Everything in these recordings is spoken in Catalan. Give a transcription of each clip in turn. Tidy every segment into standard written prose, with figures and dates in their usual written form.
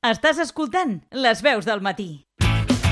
Estàs escoltant Les Veus del Matí.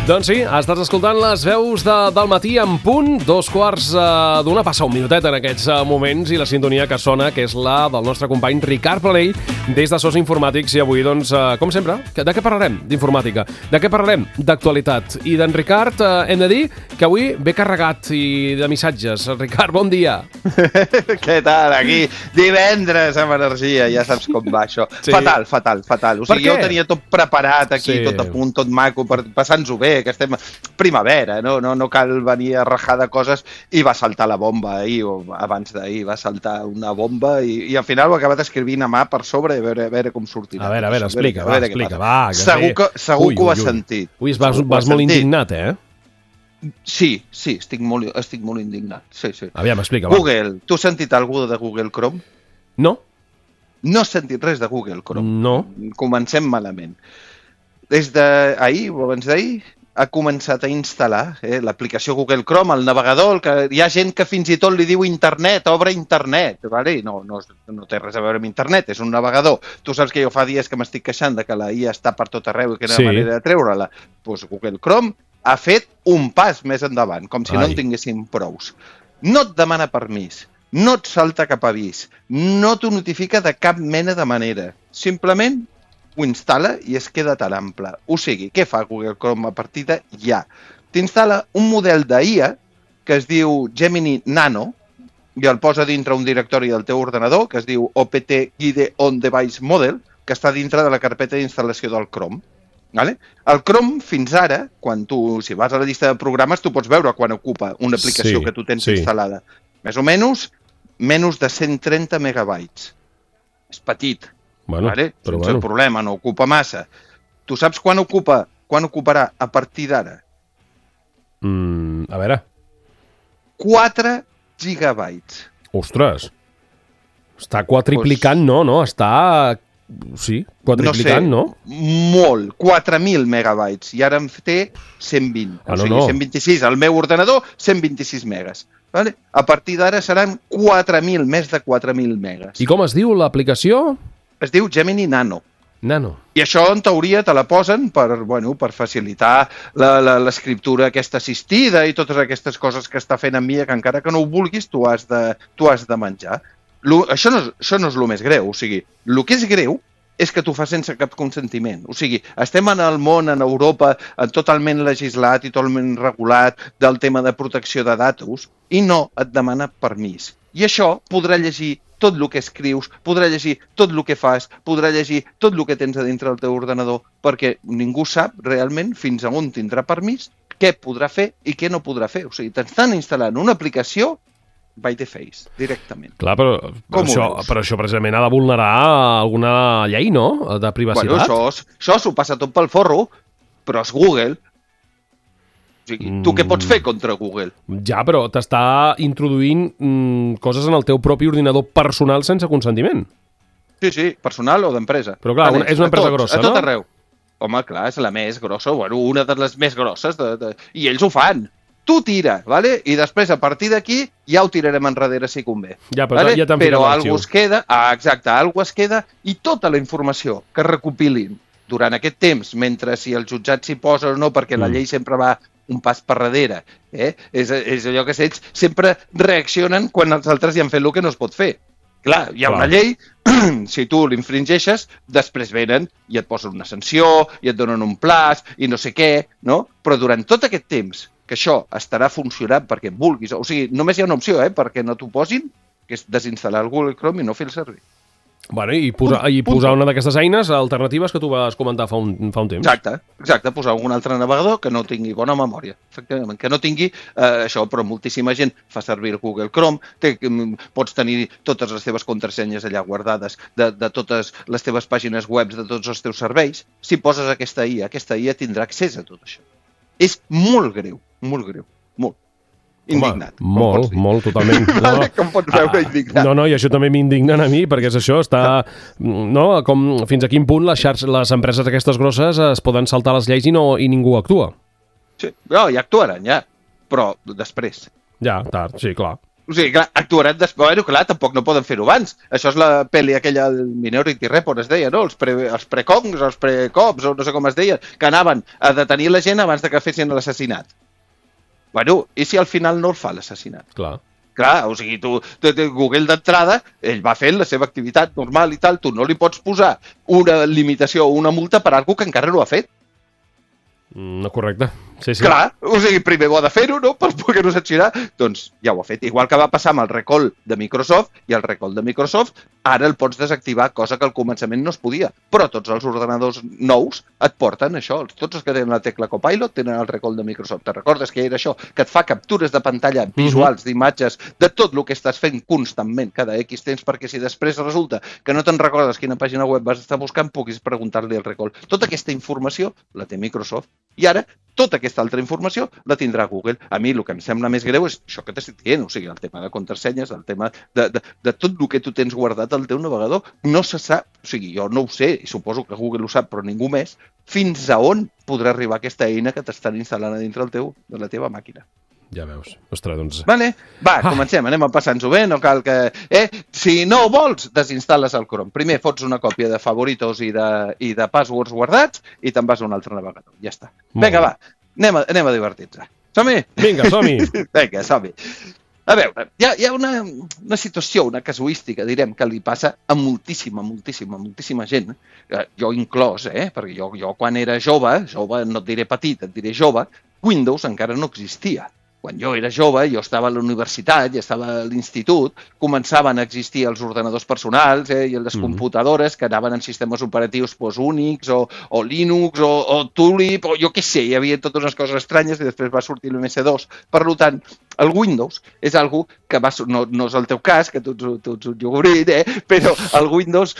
Doncs sí, estàs escoltant Les Veus del Matí en punt, 2:15 passa un minutet en aquests moments, i la sintonia que sona, que és la del nostre company Ricard Planell, des de SOS Informàtics. I avui, doncs, com sempre, de què parlarem? D'informàtica. De què parlarem? D'actualitat. I d'en Ricard hem de dir que avui ve carregat i de missatges. Ricard, bon dia. Què tal? Aquí divendres amb energia, ja saps com va això. Sí. Fatal. O sigui, jo tenia tot preparat aquí, tot a punt, tot maco, per passar-nos-ho bé, que estem primavera, no cal venir a rajar de coses, i va saltar la bomba ahir, o abans d'ahir, va saltar una bomba i al final ho he acabat escrivint a mà per sobre, a veure com sortirà. A veure, explica, va. Segur que ho has sentit. Ui, vas molt indignat, eh? Sí, estic molt indignat. Sí. Aviam, explica, Google, tu has sentit alguna de Google Chrome? No. No has sentit res de Google Chrome? No. Comencem malament. Des d'ahir o abans d'ahir ha començat a instal·lar l'aplicació Google Chrome, el navegador, que hi ha gent que fins i tot li diu internet, obre internet, vale? No té res a veure amb internet, és un navegador. Tu saps que jo fa dies que m'estic queixant de que la IA està per tot arreu i que no hi ha manera de treure-la. Doncs Google Chrome ha fet un pas més endavant, com si no en tinguéssim prous. No et demana permís, no et salta cap avís, no t'ho notifica de cap mena de manera. Simplement ho instal·la i es queda tan ample. O sigui, què fa Google Chrome a partir de ja? T'instal·la un model d'IA que es diu Gemini Nano i el posa dintre un directori del teu ordenador que es diu OPT Guide On Device Model, que està dintre de la carpeta d'instal·lació del Chrome. Vale? El Chrome, fins ara, si vas a la llista de programes, tu pots veure quan ocupa una aplicació que tu tens instal·lada. Més o menys de 130 megabytes. És petit. Vale? Sense problema, no ocupa massa. Tu saps quan ocuparà a partir d'ara? A veure. 4 gigabytes. Ostres. Està quadriplicant, no? Està... Sí, quadriplicant, no? Molt. 4.000 megabytes. I ara en té 120. O sigui, 126. Al meu ordenador, 126 megas. Vale? A partir d'ara seran 4.000, més de 4.000 megas. I com es diu l'aplicació? Es diu Gemini Nano. I això, en teoria, te la posen per facilitar l'escriptura aquesta assistida i totes aquestes coses que està fent amb mi, que encara que no ho vulguis, tu has de menjar. Això no és el més greu. O sigui, el que és greu és que t'ho fa sense cap consentiment. O sigui, estem en el món, en Europa, totalment legislat i totalment regulat del tema de protecció de datos i no et demana permís. I això podrà llegir tot el que escrius, podrà llegir tot el que fas, podrà llegir tot el que tens a dintre del teu ordenador, perquè ningú sap realment fins a on tindrà permís, què podrà fer i què no podrà fer. O sigui, t'estan instal·lant una aplicació by the face, directament. Clar, però això precisament ha de vulnerar alguna llei, no?, de privacitat. Bueno, això s'ho passa tot pel forro, però és Google. O sigui, tu què pots fer contra Google? Ja, però t'està introduint coses en el teu propi ordinador personal sense consentiment. Sí, personal o d'empresa. Però clar, és una empresa grossa, no? A tot arreu. Home, clar, és la més grossa, una de les més grosses, i ells ho fan. Tu tira, vale? I després, a partir d'aquí, ja ho tirarem enrere si convé. Ja, però ja t'han ficat l'arxiu. Però es queda, alguna es queda, i tota la informació que recopilin durant aquest temps, mentre si el jutjat s'hi posa o no, perquè la llei sempre va un pas per darrere. És allò que ells sempre reaccionen quan els altres ja han fet el que no es pot fer. Clar, hi ha una llei, si tu l'infringeixes, després venen i et posen una sanció, i et donen un plaç, i no sé què, no? Però durant tot aquest temps que això estarà funcionant perquè vulguis, o sigui, només hi ha una opció, perquè no t'ho posin, que és desinstal·lar el Google Chrome i no fer el servir. Bueno, i posar una d'aquestes eines alternatives que tu vas comentar fa un temps. Exacte, posar un altre navegador que no tingui bona memòria, efectivament, que no tingui això, però moltíssima gent fa servir el Google Chrome, pots tenir totes les teves contrasenyes allà guardades de totes les teves pàgines web, de tots els teus serveis. Si poses aquesta IA tindrà accés a tot això. És molt greu, molt. Indignat. Home, molt, totalment. Com pots veure, indignat. No, i això també m'indigna a mi, perquè és això, no, com fins a quin punt les empreses aquestes grosses es poden saltar les lleis i ningú actua. Sí, ja actuaran, ja, però després. Ja, tard, sí, clar. O sigui, clar, actuaran després. Bueno, clar, tampoc no poden fer-ho abans. Això és la pel·li aquella, el Minority Report, es deia, no? Els precongs, els precops, o no sé com es deia, que anaven a detenir la gent abans de que fessin l'assassinat. Bueno, i si al final no el fa l'assassinat? Clar. Clar, o sigui, Google d'entrada, ell va fent la seva activitat normal i tal, tu no li pots posar una limitació o una multa per algú que encara no ha fet. No, correcte. Sí. Clar, o sigui, primer ho ha de fer-ho, no?, per poder-ho sancionar. Doncs ja ho ha fet. Igual que va passar amb el recall de Microsoft, i el recall de Microsoft ara el pots desactivar, cosa que al començament no es podia. Però tots els ordenadors nous et porten això. Tots els que tenen la tecla Copilot tenen el recall de Microsoft. Te recordes que era això? Que et fa captures de pantalla visuals, d'imatges, de tot el que estàs fent constantment, cada X temps, perquè si després resulta que no te'n recordes quina pàgina web vas estar buscant, puguis preguntar-li el recall. Tota aquesta informació la té Microsoft. I ara, tota aquesta altra informació la tindrà Google. A mi el que em sembla més greu és això que t'estic dient, o sigui, el tema de contrasenyes, el tema de tot el que tu tens guardat al teu navegador. No se sap, o sigui, jo no ho sé, i suposo que Google ho sap, però ningú més, fins a on podrà arribar aquesta eina que t'estan instal·lant a dintre de la teva màquina. Ja veus. Ostres, doncs... Vale. Va, comencem, anem a passar-nos-ho bé, no cal que... Si no ho vols, desinstal·les el Chrome. Primer fots una còpia de favoritos i de passwords guardats i te'n vas a un altre navegador. Ja està. Vinga, va, anem a divertir-nos. Som-hi? Vinga, som-hi. Vinga, som-hi. A veure, hi ha una situació, una casuística, direm, que li passa a moltíssima gent, jo inclòs, perquè jo quan era jove, no et diré petit, et diré jove, Windows encara no existia. Quan jo era jove, jo estava a la universitat, ja estava a l'institut, començaven a existir els ordenadors personals i les computadores que anaven en sistemes operatius Unix o Linux o Tulip, o jo què sé, hi havia totes unes coses estranyes i després va sortir l'MS2. Per tant, el Windows és algo que no és el teu cas, que tu ets un iogurt, però el Windows,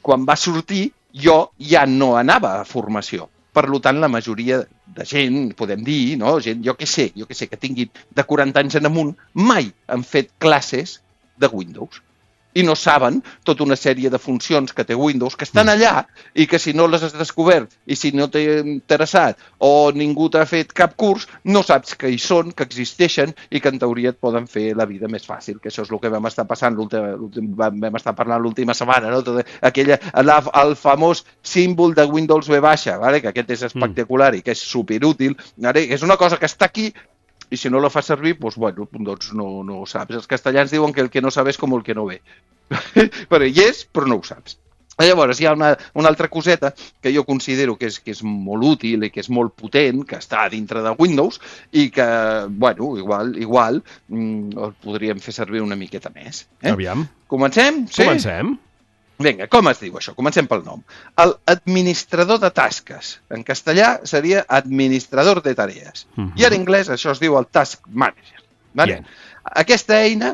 quan va sortir, jo ja no anava a formació. Per tant, la majoria de gent, podem dir, no? Gent, jo què sé, que tinguin de 40 anys en amunt, mai han fet classes de Windows. I no saben tota una sèrie de funcions que té Windows, que estan allà i que si no les has descobert i si no t'he interessat o ningú t'ha fet cap curs, no saps que hi són, que existeixen i que en teoria et poden fer la vida més fàcil, que això és el que vam estar passant, vam estar parlant l'última setmana, no? El famós símbol de Windows V baixa, que aquest és espectacular i que és superútil, que és una cosa que està aquí i si no la fas servir, doncs no ho saps. Els castellans diuen que el que no sabes com el que no ve. Però hi és, però no ho saps. Llavors, hi ha una altra coseta que jo considero que és molt útil i que és molt potent, que està dintre de Windows i que, igual el podríem fer servir una miqueta més. Aviam. Comencem? Sí? Comencem. Vinga, com es diu això? Comencem pel nom. El administrador de tasques. En castellà seria administrador de tarees. I en anglès això es diu el Task Manager. Vale? Aquesta eina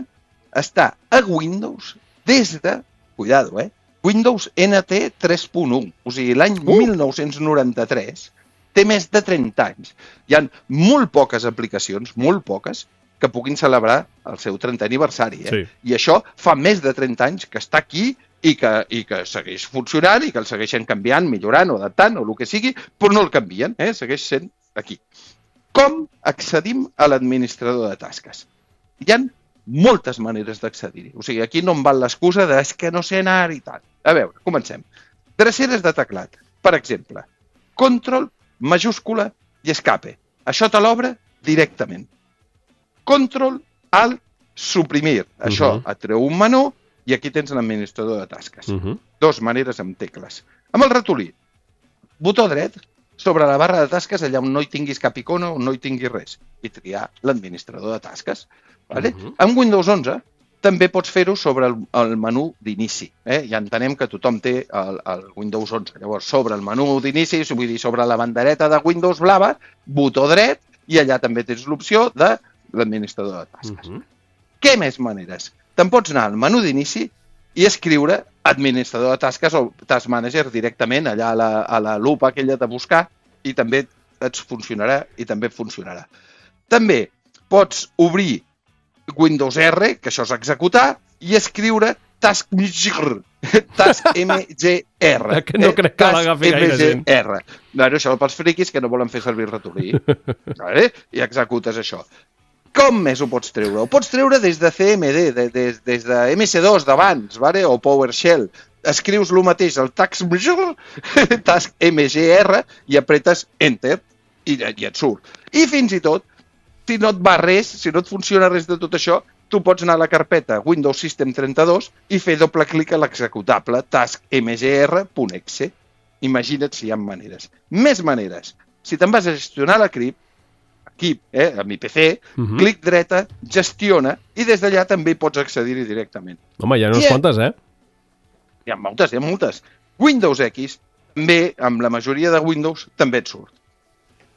està a Windows des de, Windows NT 3.1. O sigui, l'any 1993 té més de 30 anys. Hi ha molt poques aplicacions, molt poques, que puguin celebrar el seu 30è aniversari. Sí. I això fa més de 30 anys que està aquí i que segueix funcionant i que el segueixen canviant, millorant o adaptant o el que sigui, però no el canvien, segueix sent aquí. Com accedim a l'administrador de tasques? Hi ha moltes maneres d'accedir-hi. O sigui, aquí no em val l'excusa de que no sé anar i tal. A veure, comencem. Dreceres de teclat. Per exemple, control, majúscula i escape. Això te l'obre directament. Control, alt, suprimir. Això et treu un menú i aquí tens l'administrador de tasques. Dos maneres amb tecles. Amb el ratolí, botó dret, sobre la barra de tasques, allà on no hi tinguis cap icona, on no hi tinguis res, i triar l'administrador de tasques. Vale? Amb Windows 11 també pots fer-ho sobre el menú d'inici. Ja entenem que tothom té el Windows 11. Llavors, sobre el menú d'inici, vull dir, sobre la bandereta de Windows blava, botó dret, i allà també tens l'opció de l'administrador de tasques. Què més maneres? Te'n pots anar al menú d'inici i escriure administrador de tasques o Task Manager directament allà a la lupa aquella de buscar i també et funcionarà i també funcionarà. També pots obrir Windows R, que això és executar, i escriure Task MGR. Task MGR. Que no crec que l'agafi gaire gent. Això pels friquis que no volen fer servir el ratolí. I executes això. Com més ho pots treure? Ho pots treure des de CMD, des de MS2 d'abans, vale? O PowerShell. Escrius el mateix, el task MGR, i apretes Enter, i et surt. I fins i tot, si no et va res, si no et funciona res de tot això, tu pots anar a la carpeta Windows System 32 i fer doble clic a l'executable taskmgr.exe. Imagina't si hi ha maneres. Més maneres. Si te'n vas a gestionar l'equip, amb IPC, clic dreta, gestiona, i des d'allà també pots accedir-hi directament. Home, hi ha unes quantes, Hi ha moltes. Windows X, també, amb la majoria de Windows, també et surt.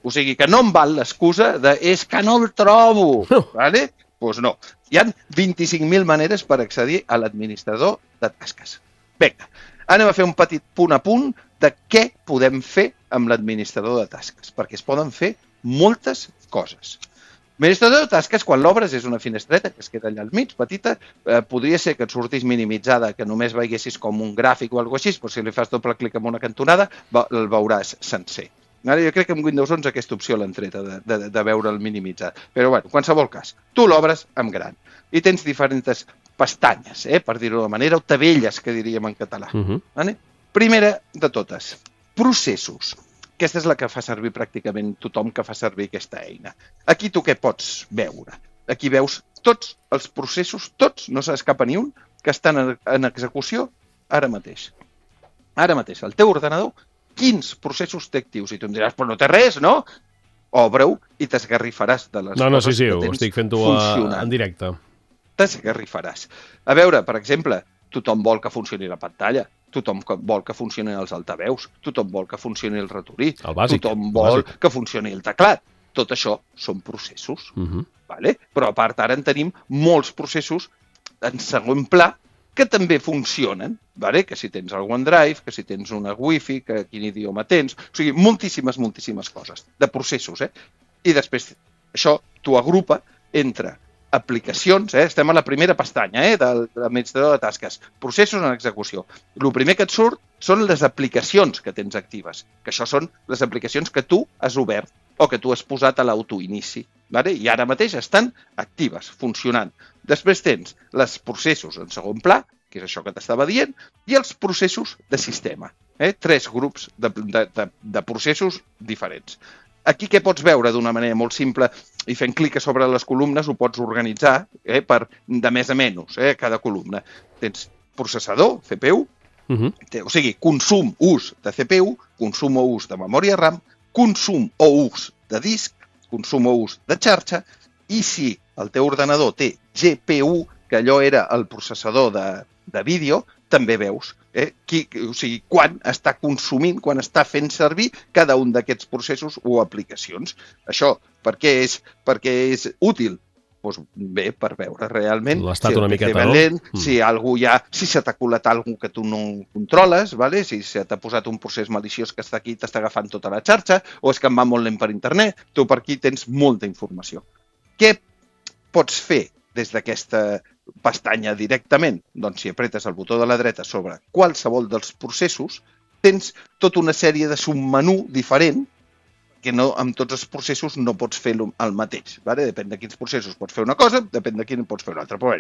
O sigui que no em val l'excusa de és que no el trobo, vale? Doncs no. Hi ha 25.000 maneres per accedir a l'administrador de tasques. Vinga, anem a fer un petit punt a punt de què podem fer amb l'administrador de tasques, perquè es poden fer moltes coses. L'administrador de tasques, quan l'obres, és una finestreta que es queda allà al mig, petita. Podria ser que et sortís minimitzada, que només veiessis com un gràfic o alguna cosa així, però si li fas doble clic en una cantonada, el veuràs sencer. Jo crec que amb Windows 11 aquesta opció l'han treta de veure'l minimitzat. Però, bueno, en qualsevol cas, tu l'obres en gran i tens diferents pestanyes, per dir-ho de manera, o tabelles, que diríem en català. Primera de totes, processos. Aquesta és la que fa servir pràcticament tothom que fa servir aquesta eina. Aquí tu què pots veure? Aquí veus tots els processos, tots, no s'escapa ni un, que estan en execució ara mateix. Ara mateix, al teu ordenador, quins processos té actius? I tu em diràs, però no té res, no? Obre-ho i t'esgarrifaràs de les coses que tens ho estic fent-ho en directe. T'esgarrifaràs. A veure, per exemple, tothom vol que funcioni la pantalla, tothom vol que funcionin els altaveus, tothom vol que funcioni el ratorí, tothom vol que funcioni el teclat. Tot això són processos. Vale? Però a part ara en tenim molts processos en segon pla que també funcionen, vale? Que si tens el OneDrive, que si tens una Wi-Fi, que quin idioma tens... O sigui, moltíssimes coses de processos. I després això t'ho agrupa entre aplicacions, estem a la primera pestanya de l'administrador de tasques, processos en execució. El primer que et surt són les aplicacions que tens actives, que això són les aplicacions que tu has obert o que tu has posat a l'autoinici, i ara mateix estan actives, funcionant. Després tens els processos en segon pla, que és això que t'estava dient, i els processos de sistema. 3 grups de processos diferents. Aquí què pots veure d'una manera molt simple i fent clic sobre les columnes ho pots organitzar per de més a menys, cada columna. Tens processador, CPU, o sigui, consum, ús de CPU, consum o ús de memòria RAM, consum o ús de disc, consum o ús de xarxa, i si el teu ordenador té GPU, que allò era el processador de vídeo, també veus quan està consumint, quan està fent servir cada un d'aquests processos o aplicacions. Això, per què és útil? Doncs bé, per veure realment l'estat una miqueta, no? Si se t'ha colat alguna que tu no controles, si se t'ha posat un procés maliciós que està aquí i t'està agafant tota la xarxa, o és que em va molt lent per internet, tu per aquí tens molta informació. Què pots fer des d'aquesta pestanya directament? Doncs si apretes el botó de la dreta sobre qualsevol dels processos, tens tota una sèrie de submenú diferent que amb tots els processos no pots fer el mateix. Depèn de quins processos pots fer una cosa, depèn de quin pots fer una altra. Però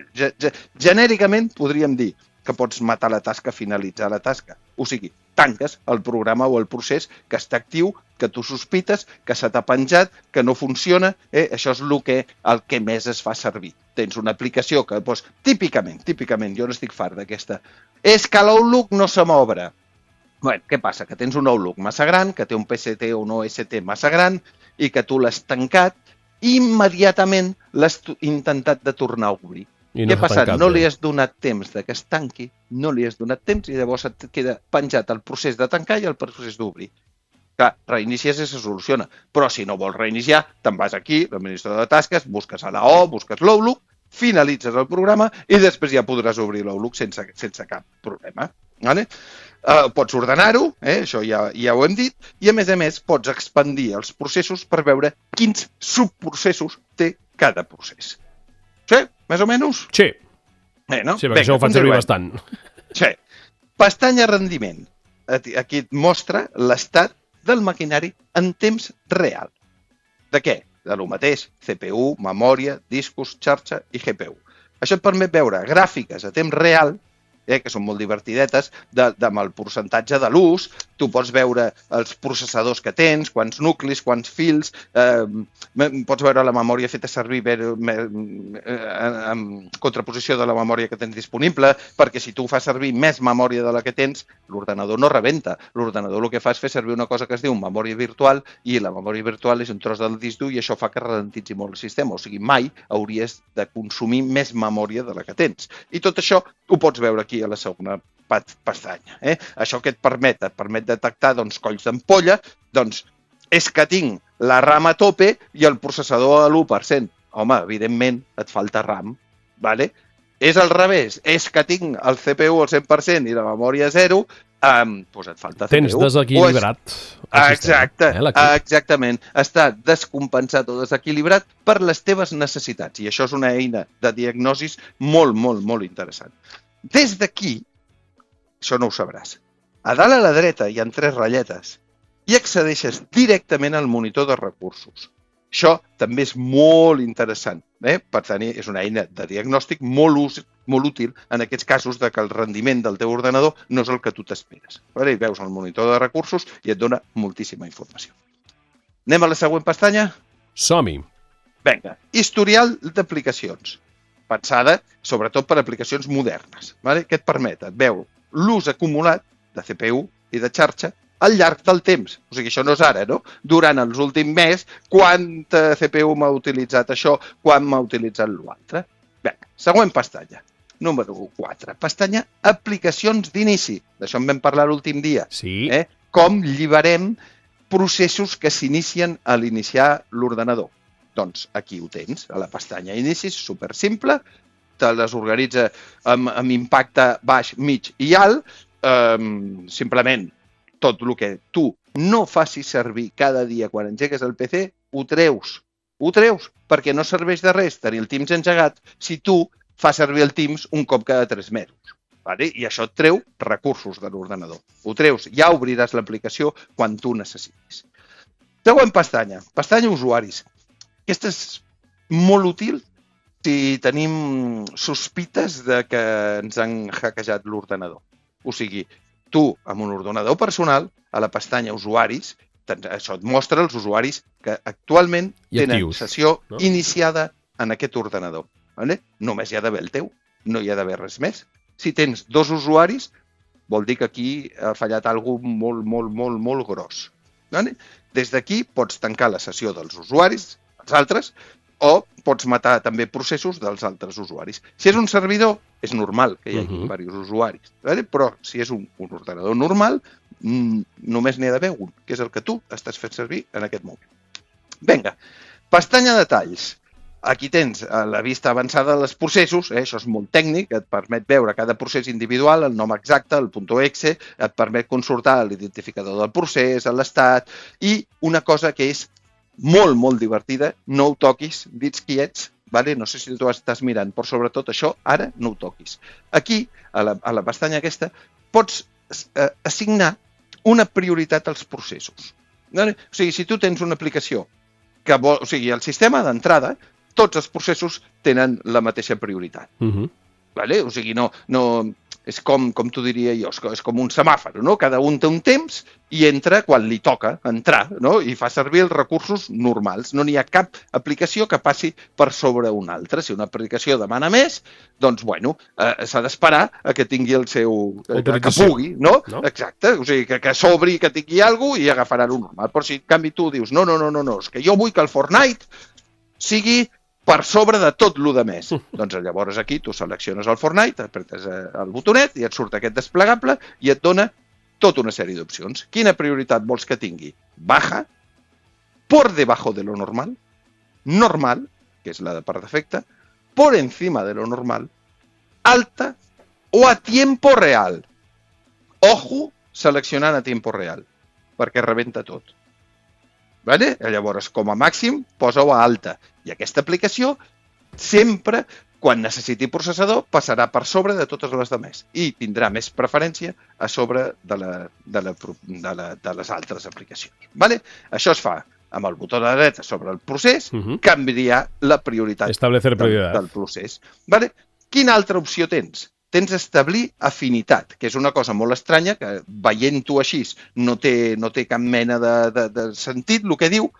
genèricament podríem dir que pots matar la tasca, finalitzar la tasca. O sigui, tanques el programa o el procés que està actiu, que tu sospites, que se t'ha penjat, que no funciona. Això és el que més es fa servir. Tens una aplicació que, típicament, jo no estic fart d'aquesta, és que l'Outlook no se m'obre. Què passa? Que tens un Outlook massa gran, que té un PST o un OST massa gran i que tu l'has tancat i immediatament l'has intentat de tornar a obrir. Què ha passat? No li has donat temps que es tanqui, no li has donat temps i llavors et queda penjat el procés de tancar i el procés d'obrir. Clar, reinicies i se soluciona, però si no vols reiniciar, te'n vas aquí, l'administrador de tasques, busques a la O, busques l'Outlook, finalitzes el programa i després ja podràs obrir l'Outlook sense cap problema. Pots ordenar-ho, això ja ho hem dit, i a més pots expandir els processos per veure quins subprocessos té cada procés. Sí? Més o menys? Sí. Sí, perquè això ho fan servir bastant. Sí. Pestanya rendiment. Aquí et mostra l'estat del maquinari en temps real. De què? de lo mateix, CPU, memòria, discos, xarxa i GPU. Això et permet veure gràfiques a temps real, que són molt divertidetes, amb el percentatge de l'ús. Tu pots veure els processadors que tens, quants nuclis, quants fils, pots veure la memòria feta servir en contraposició de la memòria que tens disponible, perquè si tu fas servir més memòria de la que tens, l'ordenador no rebenta. L'ordenador el que fa és fer servir una cosa que es diu memòria virtual, i la memòria virtual és un tros del disc dur i això fa que ralentitzi molt el sistema. O sigui, mai hauries de consumir més memòria de la que tens. I tot això ho pots veure aquí a la segona pestanya. Això que et permet detectar colls d'ampolla, és que tinc la RAM a tope i el processador a l'1%. Home, evidentment, et falta RAM. Vale? És al revés, és que tinc el CPU al 100% i la memòria a 0, doncs et falta CPU. Tens desequilibrat el sistema. Exactament. Està descompensat o desequilibrat per les teves necessitats. I això és una eina de diagnosi molt, molt, molt interessant. Des d'aquí, això no ho sabràs, a dalt a la dreta hi ha 3 ratlletes i accedeixes directament al monitor de recursos. Això també és molt interessant. Per tenir, és una eina de diagnòstic molt útil en aquests casos de que el rendiment del teu ordenador no és el que tu t'esperes. I veus el monitor de recursos i et dona moltíssima informació. Anem a la següent pestanya? Som-hi. Vinga, historial d'aplicacions. Pensada sobretot per aplicacions modernes. Què et permet? Et veu l'ús acumulat de CPU i de xarxa al llarg del temps. O sigui, això no és ara, no? Durant els últims mesos, quanta CPU m'ha utilitzat això, quan m'ha utilitzat l'altre. Bé, següent pestanya. Número 4. Pestanya aplicacions d'inici. D'això en vam parlar l'últim dia. Sí. Com lliberem processos que s'inicien a l'iniciar l'ordenador. Doncs aquí ho tens, a la pestanya inicis, supersimple, te les organitza amb impacte baix, mig i alt, simplement tot el que tu no facis servir cada dia quan engegues el PC, ho treus, perquè no serveix de res tenir el Teams engegat si tu fas servir el Teams un cop cada 3 mesos. I això et treu recursos de l'ordenador. Ho treus, ja obriràs l'aplicació quan tu necessitis. Següent pestanya, pestanya usuaris. Aquesta és molt útil si tenim sospites de que ens han hackejat l'ordenador. O sigui, tu, amb un ordenador personal, a la pestanya usuaris, això et mostra els usuaris que actualment tenen sessió iniciada en aquest ordenador. Només hi ha d'haver el teu, no hi ha d'haver res més. Si tens 2 usuaris, vol dir que aquí ha fallat alguna cosa molt, molt, molt, molt gros. Des d'aquí pots tancar la sessió dels usuaris, els altres, o pots matar també processos dels altres usuaris. Si és un servidor, és normal que hi hagi diversos usuaris, però si és un ordenador normal, només n'hi ha d'haver un, que és el que tu estàs fent servir en aquest moment. Vinga, pestanya detalls. Aquí tens la vista avançada dels processos, això és molt tècnic, et permet veure cada procés individual, el nom exacte, el .exe, et permet consultar l'identificador del procés, l'estat, i una cosa que és molt, molt divertida, no ho toquis, dits quiets, no sé si tu estàs mirant, però sobretot això, ara no ho toquis. Aquí, a la pestanya aquesta, pots assignar una prioritat als processos. O sigui, si tu tens una aplicació que vol, o sigui, el sistema d'entrada, tots els processos tenen la mateixa prioritat. O sigui, no, és com t'ho diria jo, és com un semàfor, no? Cada un té un temps i entra quan li toca entrar, no? I fa servir els recursos normals. No n'hi ha cap aplicació que passi per sobre una altra. Si una aplicació demana més, doncs, s'ha d'esperar a que tingui el seu... que pugui, no? Exacte. O sigui, que s'obri, que tingui alguna cosa i agafarà el normal. Però si en canvi tu dius, no, és que jo vull que el Fortnite sigui per sobre de tot el de més. Doncs llavors aquí tu selecciones el Fortnite, apretes el botonet i et surt aquest desplegable i et dona tota una sèrie d'opcions. Quina prioritat vols que tingui? Baja, por debajo de lo normal, normal, que és la de per defecte, por encima de lo normal, alta o a tiempo real. Ojo, seleccionant a tiempo real, perquè rebenta tot. Llavors, com a màxim, posa-ho a alta. I aquesta aplicació sempre, quan necessiti processador, passarà per sobre de totes les demés i tindrà més preferència a sobre de les altres aplicacions. Això es fa amb el botó de la dreta sobre el procés, canviar la prioritat Establecer prioridad del procés. Vale? Quina altra opció tens? Tens establir afinitat, que és una cosa molt estranya, que veient-ho així no té cap mena de sentit el que diu,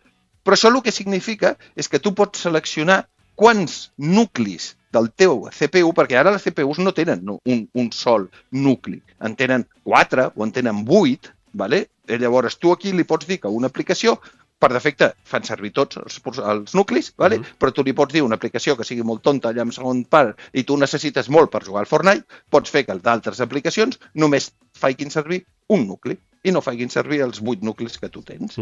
però això el que significa és que tu pots seleccionar quants nuclis del teu CPU, perquè ara les CPUs no tenen un sol nucli, en tenen 4 o en tenen 8, vale? I llavors tu aquí li pots dir que una aplicació, per defecte fan servir tots els nuclis, vale? Però tu li pots dir una aplicació que sigui molt tonta allà en segon part i tu necessites molt per jugar al Fortnite, pots fer que d'altres aplicacions només facin servir un nucli i no facin servir els 8 nuclis que tu tens.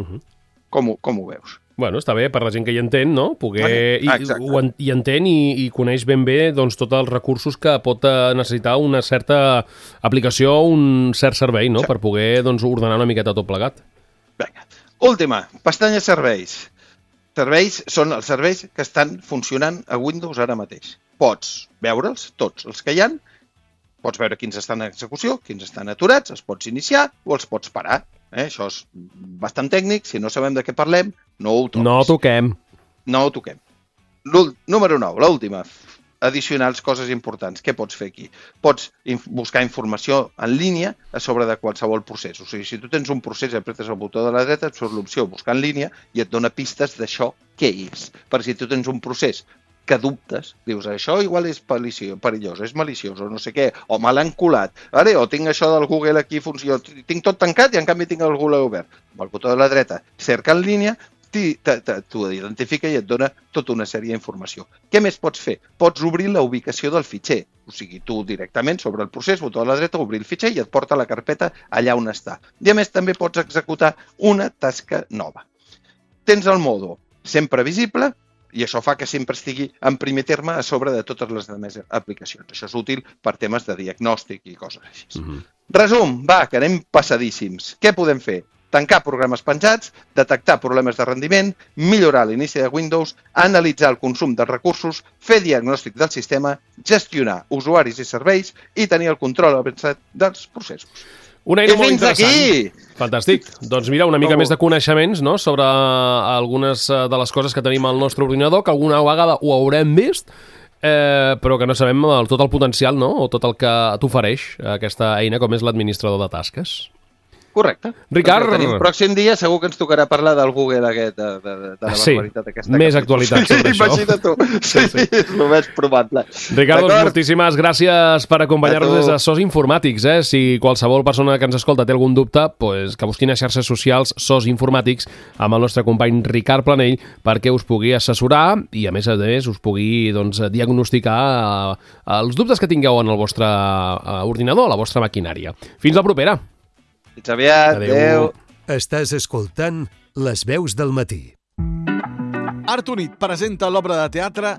Com ho veus? Bueno, està bé, per la gent que hi entén, no? I entén i coneix ben bé doncs, tots els recursos que pot necessitar una certa aplicació o un cert servei, no? Per poder doncs, ordenar una miqueta tot plegat. Vinga. Última, pestanya serveis. Serveis són els serveis que estan funcionant a Windows ara mateix. Pots veure'ls, tots els que hi ha, pots veure quins estan en execució, quins estan aturats, els pots iniciar o els pots parar. Això és bastant tècnic, si no sabem de què parlem, no ho toquis. No ho toquem. Número 9, l'última. Addicionals, coses importants. Què pots fer aquí? Pots buscar informació en línia a sobre de qualsevol procés. O sigui, si tu tens un procés i apretes el botó de la dreta, et surt l'opció buscar en línia i et dona pistes d'això què és. Per si tu tens un procés que dubtes, dius, això igual és perillós, és maliciós, o no sé què, o me l'han colat, o tinc això del Google aquí, tinc tot tancat i en canvi tinc el Google obert. Amb el botó de la dreta, cerca en línia, t'ho identifica i et dona tota una sèrie d'informació. Què més pots fer? Pots obrir la ubicació del fitxer. O sigui, tu directament sobre el procés, botó a la dreta, obrir el fitxer i et porta la carpeta allà on està. I a més també pots executar una tasca nova. Tens el modo sempre visible i això fa que sempre estigui en primer terme a sobre de totes les altres aplicacions. Això és útil per temes de diagnòstic i coses així. Resum, que anem passadíssims. Què podem fer? Tancar programes penjats, detectar problemes de rendiment, millorar l'inici de Windows, analitzar el consum de recursos, fer diagnòstic del sistema, gestionar usuaris i serveis i tenir el control avançat dels processos. Una eina molt interessant. Aquí! Fantàstic. Doncs mira, una mica més de coneixements, no?, sobre algunes de les coses que tenim al nostre ordinador, que alguna vegada ho haurem vist, però que no sabem tot el potencial, no?, o tot el que t'ofereix aquesta eina com és l'administrador de tasques. Correcte. Ricard... El pròxim dia segur que ens tocarà parlar del Google aquest, de la barbaritat aquesta. Més actualitat sobre això. Imagina't tu. Sí, és el més probable. Ricard, doncs, moltíssimes gràcies per acompanyar-nos des de SOS Informàtics. Si qualsevol persona que ens escolta té algun dubte, pues, que busquin a xarxes socials SOS Informàtics amb el nostre company Ricard Planell perquè us pugui assessorar i, a més, us pugui diagnosticar els dubtes que tingueu en el vostre ordinador, la vostra maquinària. Fins la propera. Fins aviat. Adéu. Estàs escoltant Les veus del matí. Art Unit presenta l'obra de teatre